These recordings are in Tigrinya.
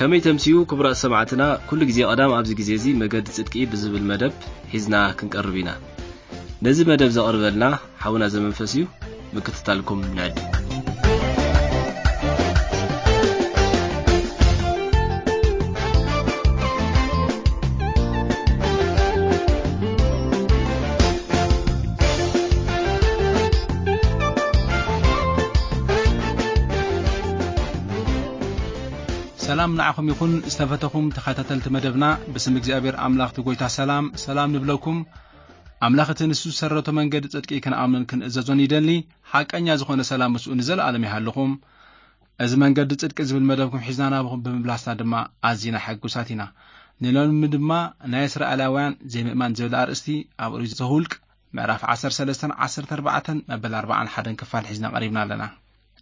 ከመይ ተምስዩ ክቡራት ሰማዕትና፣ ኩሉ ግዜ ቀዳም ኣብዚ ግዜ እዚ መገዲ ጽድቂ ብዝብል መደብ ሒዝና ክንቀርብ ኢና። ነዚ መደብ ዘቕርበልና ሓውና ዘመንፈስ እዩ። ምክትታልኩም ንዕድ። ሰላም ንዓኹም ይኹን ዝተፈተኹም ተኸታተልቲ መደብና። ብስም እግዚኣብሔር ኣምላኽ እቲ ጎይታ ሰላም ሰላም ንብለኩም። ኣምላኽ እቲ ንሱ ዝሰረቶ መንገዲ ጽድቂ ክንኣምኖን ክንእዘዞን ይደሊ። ሓቀኛ ዝኾነ ሰላም ምስኡ ንዘለኣለም ይሃልኹም። እዚ መንገዲ ጽድቂ ዝብል መደብኩም ሒዝና ናብኹም ብምምላስና ድማ ኣዚና ሕጉሳት ኢና። ንሎሚ ድማ ናይ እስራኤላውያን ዘይምእማን ዝብል ኣርእስቲ ኣብ ኦሪት ዘኍልቍ ምዕራፍ ዓሰርተ ሰለስተን ዓሰርተ ኣርባዕተን መበል ኣርባዓን ሓደን ክፋል ሒዝና ቀሪብና ኣለና።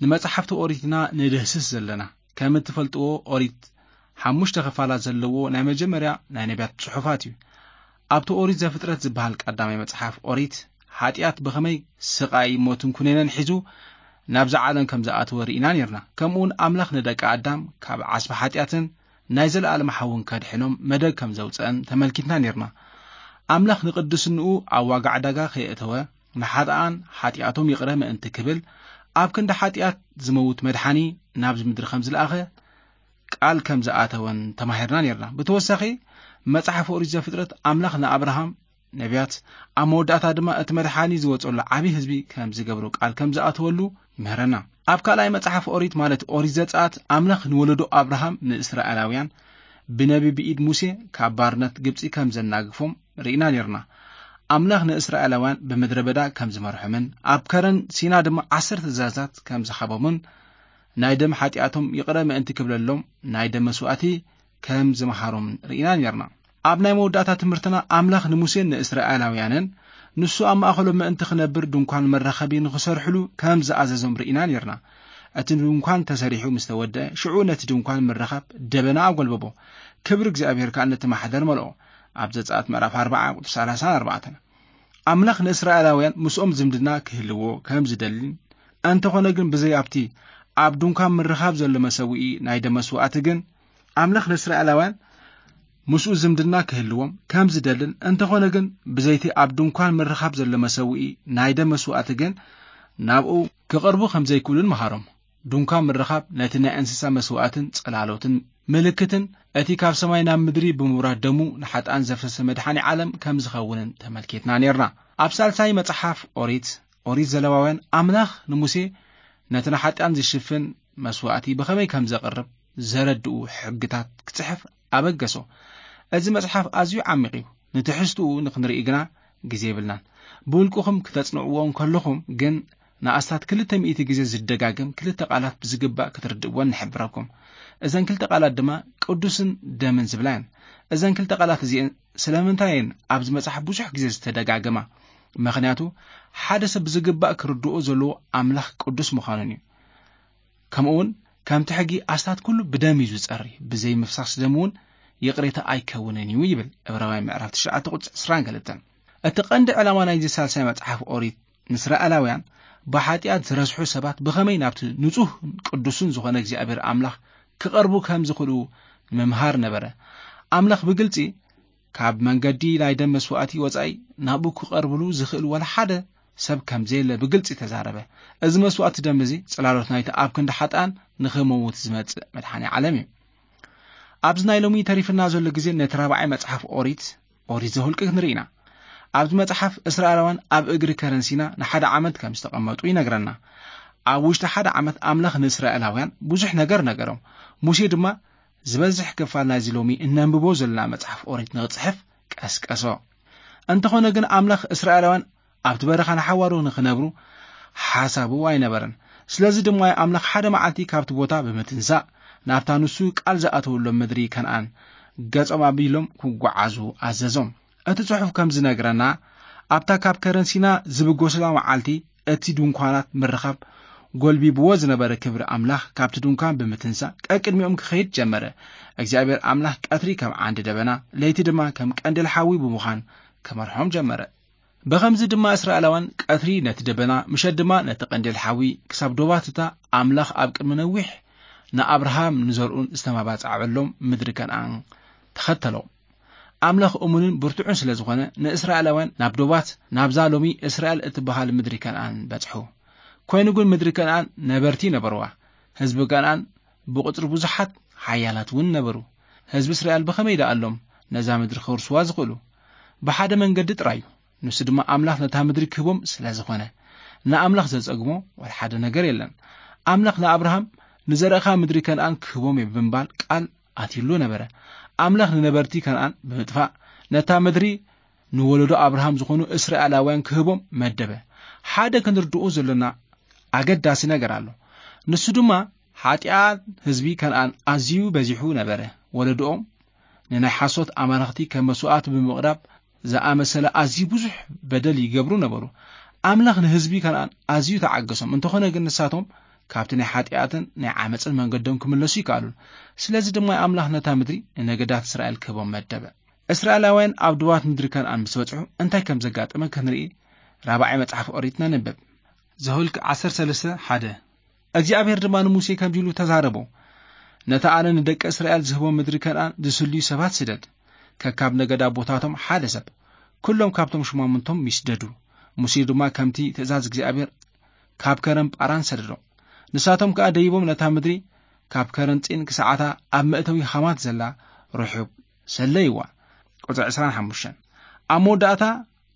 ንመጽሓፍቲ ኦሪትና ንድህስስ ዘለና። ከም እትፈልጥዎ ኦሪት ሓሙሽተ ክፋላት ዘለዎ ናይ መጀመርያ ናይ ነቢያት ጽሑፋት እዩ። ኣብቲ ኦሪት ዘፍጥረት ዝበሃል ቀዳማይ መጽሓፍ ኦሪት ሓጢኣት ብኸመይ ስቓይ ሞትን ኩነኔን ሒዙ ናብዛ ዓለም ከም ዝኣተወ ርኢና ነርና። ከምኡውን ኣምላኽ ንደቂ ኣዳም ካብ ዓስቢ ሓጢኣትን ናይ ዘለኣለም ሓውን ከድሕኖም መደብ ከም ዘውፅአን ተመልኪትና ነርና። ኣምላኽ ንቅድስንኡ ኣብ ዋጋ ዕዳጋ ከየእተወ ንሓጥኣን ሓጢኣቶም ይቕረ ምእንቲ ክብል ኣብ ክንዲ ሓጢኣት ዝመውት መድሓኒ ናብዚ ምድሪ ከም ዝለኣኸ ቃል ከም ዝኣተወን ተማሂርና ነርና። ብተወሳኺ መጽሓፍ ኦሪት ዘፍጥረት ኣምላኽ ንኣብርሃም ነቢያት ኣብ መወዳእታ ድማ እቲ መድሓኒ ዝወፀሉ ዓብዪ ህዝቢ ከም ዝገብሮ ቃል ከም ዝኣተወሉ ይምህረና። ኣብ ካልኣይ መጽሓፍ ኦሪት ማለት ኦሪት ዘጸኣት ኣምላኽ ንወለዶ ኣብርሃም ንእስራኤላውያን ብነቢ ብኢድ ሙሴ ካብ ባርነት ግብጺ ከም ዘናግፎም ርኢና ነርና። ኣምላኽ ንእስራኤላውያን ብምድረ በዳ ከም ዝመርሖምን ኣብ ከረን ሲና ድማ ዓሰርተ ትእዛዛት ከም ዝሃቦምን ናይ ደም ሓጢኣቶም ይቕረ ምእንቲ ክብለሎም ናይ ደም መስዋእቲ ከም ዝመሃሮምን ርኢና ነርና። ኣብ ናይ መወዳእታ ትምህርትና ኣምላኽ ንሙሴን ንእስራኤላውያንን ንሱ ኣብ ማእኸሎም ምእንቲ ክነብር ድንኳን መራኸቢ ንኽሰርሕሉ ከም ዝኣዘዞም ርኢና ነርና። እቲ ድንኳን ተሰሪሑ ምስ ተወደአ ሽዑ ነቲ ድንኳን ምርኻብ ደበና ኣጎልበቦ። ክብሪ እግዚኣብሔር ከኣ ነቲ ማሕደር መልኦ። ኣብ ዘጸኣት ምዕራፍ ኣርባዓ ቁጽሪ ሰላሳን ኣርባዕተን። ኣምላኽ ንእስራኤላውያን ምስኦም ዝምድና ክህልዎ ከም ዝደልን እንተኾነ ግን ብዘይ ኣብቲ ኣብ ድንኳን ምርኻብ ዘሎ መሰውኢ ናይ ደም መስዋእቲ ግን ኣምላኽ ንእስራኤላውያን ምስኡ ዝምድና ክህልዎም ከም ዝደልን እንተኾነ ግን ብዘይቲ ኣብ ድንኳን ምርኻብ ዘሎ መሰውኢ ናይ ደም መስዋእቲ ግን ናብኡ ክቐርቡ ከም ዘይክእሉን መሃሮም። ድንኳን ምርኻብ ነቲ ናይ እንስሳ መስዋእትን ጽላሎትን ምልክትን እቲ ካብ ሰማይ ናብ ምድሪ ብምውራድ ደሙ ንሓጥኣን ዘፍሰሰ መድሓኒ ዓለም ከም ዝኸውንን ተመልኪትና ነርና። ኣብ ሳልሳይ መጽሓፍ ኦሪት ኦሪት ዘለዋውያን ኣምላኽ ንሙሴ ነቲ ንሓጢኣን ዝሽፍን መስዋእቲ ብኸመይ ከም ዘቕርብ ዘረድኡ ሕግታት ክጽሕፍ ኣበገሶ። እዚ መጽሓፍ ኣዝዩ ዓሚቕ እዩ። ንትሕዝትኡ ንኽንርኢ ግና ግዜ የብልናን። ብውልቅኹም ክተጽንዕዎ እንከለኹም ግን ንኣስታት ክልተ ሚእቲ ግዜ ዝደጋገም ክልተ ቃላት ብዝግባእ ክትርድእወን ንሕብረኩም። እዘን ክልተ ቃላት ድማ ቅዱስን ደምን ዝብላ እየን። እዘን ክልተ ቃላት እዚአን ስለምንታይ እየን ኣብዚ መጽሓፍ ብዙሕ ግዜ ዝተደጋገማ? ምኽንያቱ ሓደ ሰብ ብዝግባእ ክርድኦ ዘለዎ ኣምላኽ ቅዱስ ምዃኑን እዩ። ከምኡውን ከምቲ ሕጊ ኣስታት ኩሉ ብደም እዩ ዝጸሪ፣ ብዘይ ምፍሳስ ደም እውን ይቕሬታ ኣይከውንን እዩ ይብል ዕብራውያን ምዕራፍ ትሽዓተ ቁጽሪ ዕስራን ክልተን። እቲ ቀንዲ ዕላማ ናይዚ ሳልሳይ መጽሓፍ ኦሪት ንእስራኤላውያን ብሓጢኣት ዝረስሑ ሰባት ብኸመይ ናብቲ ንጹህን ቅዱስን ዝኾነ እግዚኣብሔር ኣምላኽ ክቐርቡ ከም ዝኽእሉ ምምሃር ነበረ። ኣምላኽ ብግልጺ ካብ መንገዲ ናይ ደም መስዋእቲ ወጻኢ ናብኡ ክቐርብሉ ዝኽእል ዋላ ሓደ ሰብ ከም ዘየለ ብግልጺ ተዛረበ። እዚ መስዋእቲ ደም እዚ ጽላሎት ናይቲ ኣብ ክንዲ ሓጥኣን ንኽመውት ዝመጽእ መድሓኒ ዓለም እዩ። ኣብዚ ናይ ሎሚ ተሪፍና ዘሎ ግዜ ነቲ ራብዓይ መጽሓፍ ኦሪት፣ ኦሪት ዘኍልቁ ክንርኢ ኢና። ኣብዚ መጽሓፍ እስራኤላውያን ኣብ እግሪ ከረን ሲና ንሓደ ዓመት ከም ዝተቐመጡ ይነግረና። ኣብ ውሽጢ ሓደ ዓመት ኣምላኽ ንእስራኤላውያን ብዙሕ ነገር ነገሮም። ሙሴ ድማ ዝበዝሕ ክፋል ናይዚ ሎሚ እነንብቦ ዘለና መጽሓፍ ኦሪት ንኽጽሕፍ ቀስቀሶ። እንተኾነ ግን ኣምላኽ እስራኤላውያን ኣብቲ በረኻ ንሓዋሩ ንኽነብሩ ሓሳቡ ኣይነበረን። ስለዚ ድማ ኣምላኽ ሓደ መዓልቲ ካብቲ ቦታ ብምትንሳእ ናብታ ንሱ ቃል ዝኣተወሎም ምድሪ ከነኣን ገጾም ኣቢሎም ክጓዓዙ ኣዘዞም። እቲ ጽሑፍ ከም ዝነግረና ኣብታ ካብ ከረን ሲና ዝብገሱላ መዓልቲ እቲ ድንኳናት ምርኻብ ጎልቢብዎ ዝነበረ ክብሪ ኣምላኽ ካብቲ ድንኳን ብምትንሳእ ቀቅድሚኦም ክኸይድ ጀመረ። እግዚኣብሔር ኣምላኽ ቀትሪ ከም ዓንዲ ደበና ለይቲ ድማ ከም ቀንዴል ሓዊ ብምዃን ክመርሖም ጀመረ። ብኸምዚ ድማ እስራኤላውያን ቀትሪ ነቲ ደበና ምሸት ድማ ነቲ ቀንዴል ሓዊ ክሳብ ዶባት እታ ኣምላኽ ኣብ ቅድሚ ነዊሕ ንኣብርሃም ንዘርኡን ዝተመባጻዕበሎም ምድሪ ከነኣን ተኸተሎም። ኣምላኽ እሙንን ብርቱዕን ስለ ዝኾነ፣ ንእስራኤላውያን ናብ ዶባት፣ ናብዛ ሎሚ እስራኤል እትበሃል ምድሪ ከነኣን በጽሑ። ኮይኑ ግን ምድሪ ከነኣን ነበርቲ ነበርዋ። ህዝቢ ከነኣን ብቁጽሪ ብዙሓት ሓያላት እውን ነበሩ። ህዝቢ እስራኤል ብኸመይ ደኣሎም ነዛ ምድሪ ክወርስዋ ዝኽእሉ? ብሓደ መንገዲ ጥራይ እዩ። ንሱ ድማ ኣምላኽ ነታ ምድሪ ክህቦም ስለ ዝኾነ። ንኣምላኽ ዘጸግሞ ወላ ሓደ ነገር የለን። ኣምላኽ ንኣብርሃም ንዘርእኻ ምድሪ ከነኣን ክህቦም እየ ብምባል ቃል ኣትይሉ ነበረ። ኣምላኽ ንነበርቲ ከነኣን ብምጥፋእ ነታ ምድሪ ንወለዶ ኣብርሃም ዝኾኑ እስራኤላውያን ክህቦም መደበ። ሓደ ክንርድኦ ዘሎና ኣገዳሲ ነገር ኣሎ። ንሱ ድማ ሓጢኣት ህዝቢ ከነኣን ኣዝዩ በዚሑ ነበረ። ወለዶኦም ንናይ ሓሶት ኣማልኽቲ ከም መስዋእቲ ብምቕራብ ዝኣመሰለ ኣዝዩ ብዙሕ በደል ይገብሩ ነበሩ። ኣምላኽ ንህዝቢ ከነኣን ኣዝዩ ተዓገሶም። እንተኾነ ግን ንሳቶም ካብቲ ናይ ሓጢኣትን ናይ ዓመፅን መንገዶም ክምለሱ ይከኣሉን። ስለዚ ድማ ኣምላኽ ነታ ምድሪ ንነገዳት እስራኤል ክህቦም መደበ። እስራኤላውያን ኣብ ድባት ምድሪ ከነኣን ምስ በጽሑ እንታይ ከም ዘጋጠመ ክንርኢ ራብዓይ መጽሓፍ ኦሪት ነንብብ። ዘኍልቍ ዓሰርተ ሰለስተ ሓደ። እግዚኣብሔር ድማ ንሙሴ ከምዚ ኢሉ ተዛረቦ፣ ነታ ኣነ ንደቂ እስራኤል ዝህቦ ምድሪ ከነኣን ዝስልዩ ሰባት ስደድ። ከካብ ነገድ ኣቦታቶም ሓደ ሰብ፣ ኩሎም ካብቶም ሹማምንቶም ይስደዱ። ሙሴ ድማ ከምቲ ትእዛዝ እግዚኣብሔር ካብ ከረን ጳራን ሰደዶም። ንሳቶም ከኣ ደይቦም ነታ ምድሪ ካብ ከረን ጺን ክሳዓታ ኣብ መእተዊ ሃማት ዘላ ርሑብ ሰለይዋ። ቁጽሪ ዕስራን ሓሙሽተን። ኣብ መወዳእታ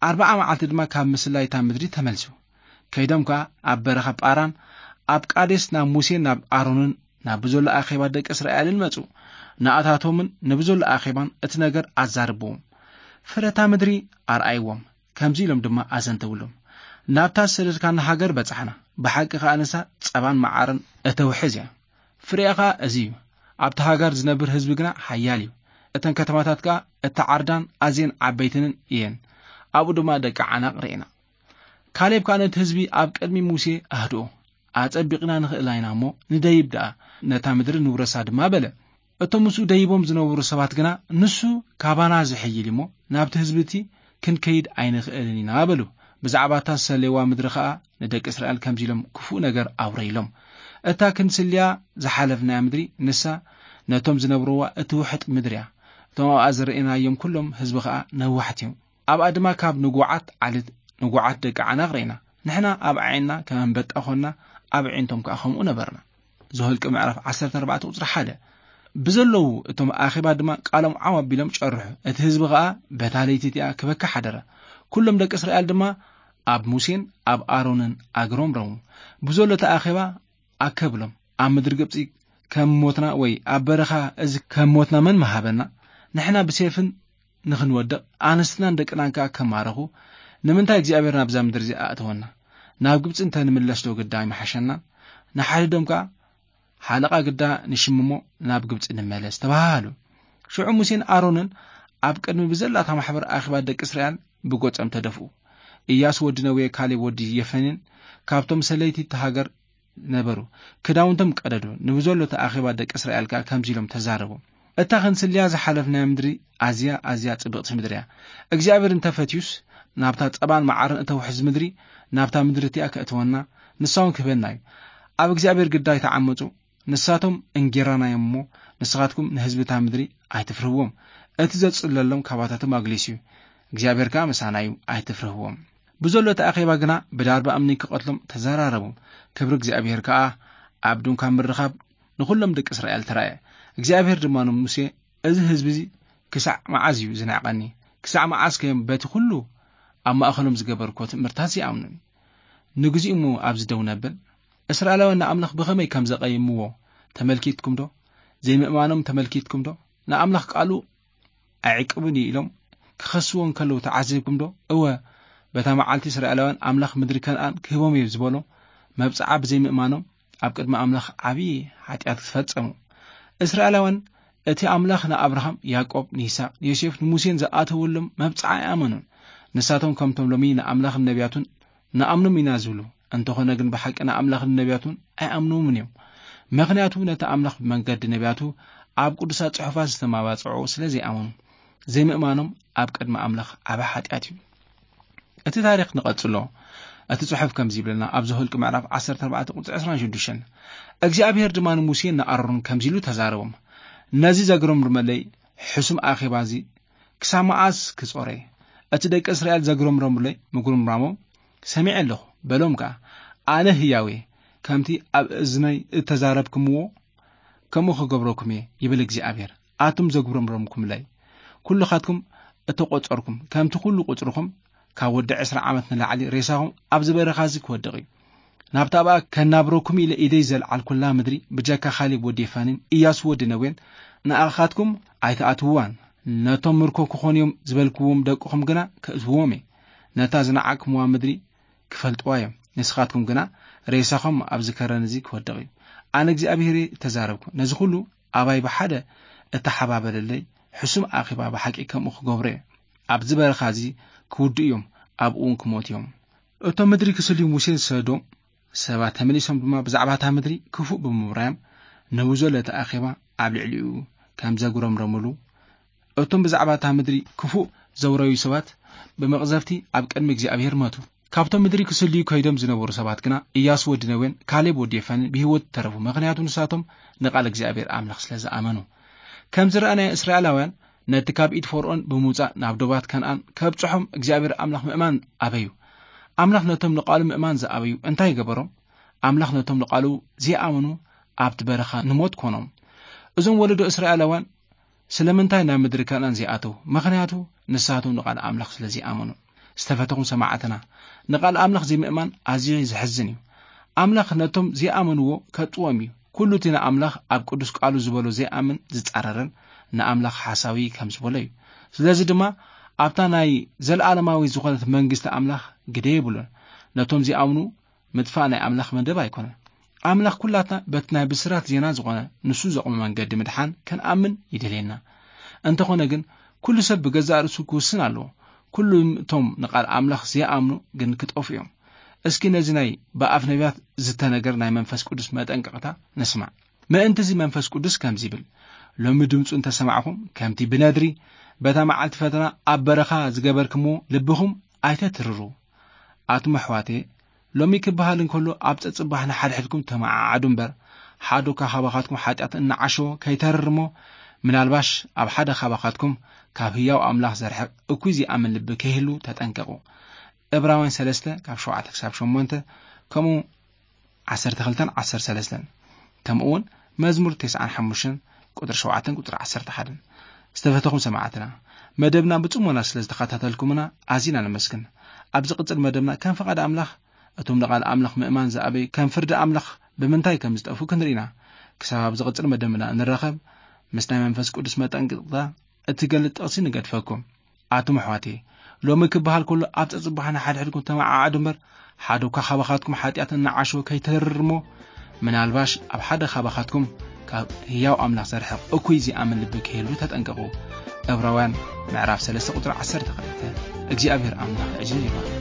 ኣርብዓ መዓልቲ ድማ ካብ ምስላይታ ምድሪ ተመልሱ። ከይዶም ከኣ ኣብ በረኻ ጳራን ኣብ ቃዴስ ናብ ሙሴን ናብ ኣሮንን ናብ ብዘሎ ኣኼባ ደቂ እስራኤልን መጹ። ንኣታቶምን ንብዘሎ ኣኼባን እቲ ነገር ኣዛርብዎም። ፍረታ ምድሪ ኣርኣይዎም። ከምዚ ኢሎም ድማ ኣዘንተውሎም፣ ናብታ ዝሰደድካና ሃገር በጻሕና፣ ብሓቂ ከኣ ንሳ ጸባን መዓርን እተውሕዝ እያ። ፍሬኣ ከኣ እዚ እዩ። ኣብቲ ሃገር ዝነብር ህዝቢ ግና ሓያል እዩ። እተን ከተማታት ከኣ እተዓርዳን ኣዝየን ዓበይትንን እየን። ኣብኡ ድማ ደቂ ዓናቕ ርኢና። ካሌብ ከኣ ነቲ ህዝቢ ኣብ ቅድሚ ሙሴ ኣህድኦ። ኣጸቢቕና ንኽእል ኢና እሞ ንደይብ ደኣ፣ ነታ ምድሪ ንውረሳ ድማ በለ። እቶም ምስኡ ደይቦም ዝነበሩ ሰባት ግና፣ ንሱ ካባና ዝሕይል እሞ ናብቲ ህዝቢ እቲ ክንከይድ ኣይንኽእልን ኢና በሉ። ብዛዕባ እታ ዝሰለይዋ ምድሪ ኸኣ ንደቂ እስራኤል ከምዚ ኢሎም ክፉእ ነገር ኣውረይሎም። እታ ክንስልያ ዝሓለፍናያ ምድሪ ንሳ ነቶም ዝነብርዋ እትውሕጥ ምድሪ እያ። እቶም ኣብኣ ዝረኣናዮም ኩሎም ህዝቢ ኸኣ ነዋሕቲ እዮም። ኣብኣ ድማ ካብ ንጉዓት ዓሌት ንጉዓት ደቂ ዓናቕ ርኢና። ንሕና ኣብ ኣዒንትና ከም ኣንበጣ ኾንና፣ ኣብ ኣዒንቶም ከኣ ከምኡ ነበርና። ዘኍልቁ ምዕራፍ ዓሰርተ ኣርባዕተ ቁጽሪ ሓደ። ብዘለዉ እቶም ኣኼባ ድማ ቃሎም ዓው ኣቢሎም ጨርሑ። እቲ ህዝቢ ኸኣ በታ ለይቲ እቲኣ ክበኪ ሓደረ። ኩሎም ደቂ እስራኤል ድማ ኣብ ሙሴን ኣብ ኣሮንን ኣግሮምረሙ። ብዘሎ እቲ ኣኼባ ኣከብሎም፣ ኣብ ምድሪ ግብጺ ከም ሞትና ወይ ኣብ በረኻ እዚ ከም ሞትና መን ምሃበና? ንሕና ብሴፍን ንኽንወድቕ፣ ኣንስትናን ደቅናን ከኣ ከማረኹ፣ ንምንታይ እግዚኣብሔር ናብዛ ምድሪ እዚኣ ኣእተወና? ናብ ግብጺ እንተ ንምለስ ዶ ግዳ ኣይምሓሸናን? ንሓድዶም ከኣ ሓለቓ ግዳ ንሽምሞ ናብ ግብጺ ንመለስ ተባሃሃሉ። ሽዑ ሙሴን ኣሮንን ኣብ ቅድሚ ብዘላታ ማሕበር ኣኼባ ደቂ እስራኤል ብገጾም ተደፍኡ። ኢያሱ ወዲ ነዌ፣ ካሌብ ወዲ የፈኔን ካብቶም ሰለይቲ እታ ሃገር ነበሩ። ክዳውንቶም ቀደዱ፣ ንብዘሎ እቲ ኣኼባ ደቂ እስራኤል ከኣ ከምዚ ኢሎም ተዛረቡ። እታ ክንስልያ ዝሓለፍናያ ምድሪ ኣዝያ፣ ኣዝያ ጽብቕቲ ምድሪ እያ። እግዚኣብሔር እንተፈትዩስ፣ ናብታ ጸባን መዓርን እተውሕዝ ምድሪ፣ ናብታ ምድሪ እቲኣ ከእትወና፣ ንሳ እውን ክህበና እዩ። ኣብ እግዚኣብሔር ግዳ ኣይትዓመጹ። ንሳቶም እንጌራና እዮም እሞ፣ ንስኻትኩም ንህዝቢ እታ ምድሪ ኣይትፍርህዎም። እቲ ዘጽለሎም ካባታቶም ኣግሊሱ እዩ። እግዚኣብሔር ከኣ ምሳና እዩ፣ ኣይትፍርህዎም። ብዘሎ እቲ ኣኼባ ግና ብዳርባ እምኒ ክቐትሎም ተዘራረቡ። ክብሪ እግዚኣብሔር ከኣ ኣብ ድንኳን ምርኻብ ንኹሎም ደቂ እስራኤል ተራእየ። እግዚኣብሔር ድማ ንሙሴ፣ "እዚ ህዝቢ እዚ ክሳዕ መዓዝ እዩ ዝንዕቐኒ? ክሳዕ መዓዝ ከ እዮም በቲ ኩሉ ኣብ ማእከሎም ዝገበርኩዎ ትእምርታት ዘይኣምኑኒ? ንግዚኡ እሞ ኣብዚ ደው ነብል?" እስራኤላውያን ንኣምላኽ ብኸመይ ከም ዘቐይምዎ ተመልኪትኩም ዶ? ዘይምእማኖም ተመልኪትኩም ዶ? ንኣምላኽ ቃሉ ኣይዕቅብን እዩ ኢሎም ክኸስዎ እንከለዉ ተዓዚብኩም ዶ? እወ፣ በታ መዓልቲ እስራኤላውያን ኣምላኽ ምድሪ ከነኣን ክህቦም እዩ ዝበሎ መብጽዓ ብዘይምእማኖም ኣብ ቅድሚ ኣምላኽ ዓብዪ ሓጢኣት ዝፈጸሙ። እስራኤላውያን እቲ ኣምላኽ ንኣብርሃም፣ ያዕቆብ፣ ንይስሐቅ፣ ንዮሴፍ፣ ንሙሴን ዝኣተወሎም መብጽዓ ኣይኣመኑን። ንሳቶም ከምቶም ሎሚ ንኣምላኽን ነቢያቱን ንኣምኖም ኢና ዝብሉ፣ እንተኾነ ግን ብሓቂ ንኣምላኽን ነቢያቱን ኣይኣምንዎምን እዮም። ምኽንያቱ ነቲ ኣምላኽ ብመንገዲ ነቢያቱ ኣብ ቅዱሳት ጽሑፋት ዝተማባጽዑ ስለ ዘይኣመኑ፣ ዘይምእማኖም ኣብ ቅድሚ ኣምላኽ ዓቢ ሓጢኣት እዩ። እቲ ታሪኽ ንቐጽሎ። እቲ ጽሑፍ ከምዚ ይብለና፣ ኣብ ዘኍልቁ ምዕራፍ ዓሰርተ ኣርባዕተ ቁጽሪ ዕስራን ሽዱሽተን፣ እግዚኣብሔር ድማ ንሙሴን ንኣሮንን ከምዚ ኢሉ ተዛረቦም፣ ነዚ ዘግረምርመለይ ሕሱም ኣኼባ እዚ ክሳብ መዓስ ክጾረ? እቲ ደቂ እስራኤል ዘግረምረሙለይ ምጉርምራሞም ሰሚዐ ኣለኹ፣ በሎም ከኣ፣ ኣነ ህያው እየ፣ ከምቲ ኣብ እዝነይ እተዛረብኩምዎ ከምኡ ክገብረኩም እየ፣ ይብል እግዚኣብሔር። ኣቱም ዘጉረምረምኩምለይ፣ ኩልኻትኩም እተቖጸርኩም፣ ከምቲ ኩሉ ቁጽርኹም ካብ ወዲ ዕስራ ዓመት ንላዕሊ ሬሳኹም ኣብዚ በረኻ እዚ ክወድቕ እዩ። ናብታ ኣብኣ ከናብረኩም ኢለ ኢደይ ዘልዓልኩላ ምድሪ ብጀካ ካሌብ ወዲ የፋኒን ኢያሱ ወዲ ነዌን ንኣኻትኩም ኣይትኣትውዋን። ነቶም ምርኮ ክኾኑ እዮም ዝበልክዎም ደቅኹም ግና ከእትውዎም እየ። ነታ ዝነዓቕኩምዋ ምድሪ ክፈልጥዋ እዮም። ንስኻትኩም ግና ሬሳኹም ኣብዚ ከረን እዚ ክወድቕ እዩ። ኣነ እግዚኣብሔር እየ እተዛረብኩ። ነዚ ኩሉ ኣባይ ብሓደ እተሓባበረለይ ሕሱም ኣኼባ ብሓቂ ከምኡ ክገብሮ እየ። ኣብዚ በረኻ እዚ ክውድኡ እዮም፣ ኣብኡ እውን ክሞቱ እዮም። እቶም ምድሪ ክስልዩ ሙሴ ዝሰዶ ሰባት ተመሊሶም ድማ ብዛዕባ እታ ምድሪ ክፉእ ብምውራዮም ንብዞ ለተ ኣኼባ ኣብ ልዕሊኡ ከም ዘጉረምረሙሉ፣ እቶም ብዛዕባ እታ ምድሪ ክፉእ ዘውረዩ ሰባት ብመቕዘፍቲ ኣብ ቅድሚ እግዚኣብሔር መቱ። ካብቶም ምድሪ ክስልዩ ከይዶም ዝነበሩ ሰባት ግና ኢያሱ ወዲ ነዌን ካሌብ ወዲ የፋንን ብህይወት ተረፉ። ምኽንያቱ ንሳቶም ንቓል እግዚኣብሔር ኣምላኽ ስለ ዝኣመኑ። ከም ዝረኣናዮ እስራኤላውያን ነቲ ካብ ኢድ ፈርኦን ብምውጻእ ናብ ዶባት ከነኣን ከብጽሖም እግዚኣብሔር ኣምላኽ ምእማን ኣበዩ። ኣምላኽ ነቶም ንቓሉ ምእማን ዝኣበዩ እንታይ ገበሮም? ኣምላኽ ነቶም ንቓሉ ዘይኣመኑ ኣብቲ በረኻ ንሞት ኮኖም። እዞም ወለዶ እስራኤላውያን ስለምንታይ ናብ ምድሪ ከነኣን ዘይኣተዉ? ምኽንያቱ ንሳቶም ንቓል ኣምላኽ ስለ ዘይኣመኑ። ዝተፈተኹም ሰማዕትና፣ ንቓል ኣምላኽ ዘይምእማን ኣዝዩ ዘሕዝን እዩ። ኣምላኽ ነቶም ዘይኣመንዎ ከጥዎም እዩ። ኩሉ እቲ ንኣምላኽ ኣብ ቅዱስ ቃሉ ዝበሎ ዘይኣምን ዝጻረርን ንኣምላኽ ሓሳዊ ከም ዝበሎ እዩ። ስለዚ ድማ ኣብታ ናይ ዘለኣለማዊ ዝኾነት መንግስቲ ኣምላኽ ግደ የብሉን። ነቶም ዘይኣምኑ ምጥፋእ ናይ ኣምላኽ መደብ ኣይኮነን። ኣምላኽ ኩላትና በቲ ናይ ብስራት ዜና ዝኾነ ንሱ ዘቑመ መንገዲ ምድሓን ክንኣምን ይደልየና። እንተኾነ ግን ኩሉ ሰብ ብገዛእ ርእሱ ክውስን ኣለዎ። ኩሉም እቶም ንቓል ኣምላኽ ዘይኣምኑ ግን ክጠፍኡ እዮም። እስኪ ነዚ ናይ ብኣፍ ነቢያት ዝተነገር ናይ መንፈስ ቅዱስ መጠንቀቕታ ንስማዕ። ምእንቲ እዚ መንፈስ ቅዱስ ከምዚ ይብል፣ ሎሚ ድምፁ እንተሰማዕኹም ከምቲ ብነድሪ በታ መዓልቲ ፈተና ኣብ በረኻ ዝገበርክምዎ ልብኹም ኣይተትርሩ። ኣቱም ኣሕዋተየ፣ ሎሚ ክበሃል እንከሎ ኣብ ጸጽባሕ ንሓድሕድኩም ተመዓዓዱ እምበር፣ ሓደ እኳ ካባኻትኩም ሓጢኣት እናዓሸወ ከይተርር እሞ፣ ምናልባሽ ኣብ ሓደ ካባኻትኩም ካብ ህያው ኣምላኽ ዘርሕቕ እኩይ ዘይኣምን ልቢ ከይህሉ ተጠንቀቑ። ዕብራውያን ሰለስተ ካብ ሸውዓተ ክሳብ ሸሞንተ፣ ከምኡ ዓሰርተ ክልተን ዓሰርተ ሰለስተን፣ ከምኡ እውን መዝሙር ተስዓን ሓሙሽተን ቁጽሪ ሸውዓተን ቁጽሪ ዓሰርተ ሓደን። ዝተፈተኹም ሰማዕትና፣ መደብና ብጽሞና ስለ ዝተኸታተልኩምና ኣዚና ነመስግን። ኣብ ዝቕጽል መደብና ከም ፍቓድ ኣምላኽ፣ እቶም ንቓል ኣምላኽ ምእማን ዝኣበዩ ከም ፍርዲ ኣምላኽ ብምንታይ ከም ዝጠፍኡ ክንርኢ ኢና። ክሳብ ኣብ ዝቕጽል መደብና እንራኸብ፣ ምስ ናይ መንፈስ ቅዱስ መጠንቀቕታ እትገልጽ ጥቕሲ ንገድፈኩም። ኣቱም ኣሕዋተየ፣ ሎሚ ክበሃል ከሎ ኣብ ጸጽባሕ ንሓድሕድኩም ተመዓዓዱ እምበር፣ ሓደ እኳ ካባኻትኩም ሓጢኣት እናዓሸወ ከይተርር እሞ፣ ምናልባሽ ኣብ ሓደ ካባኻትኩም ካብ ህያው ኣምላኽ ዘርሕቕ እኩይ ዘይኣምን ልቢ ከይህሉ ተጠንቀቑ። ዕብራውያን ምዕራፍ ሰለስተ ቁጽሪ ዓሰርተ ክልተ። እግዚኣብሔር ኣምላኽ ዕዝዝ ይባርክ።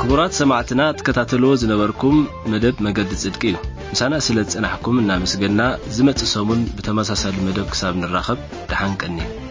ክቡራት ሰማዕትና፣ ትከታተልዎ ዝነበርኩም መደብ መገዲ ጽድቂ እዩ። ምሳና ስለ ዝጸናሕኩም እናመስገና፣ ዝመጽእ ሰሙን ብተመሳሳሊ መደብ ክሳብ ንራኸብ፣ ደሓን ቀኒ።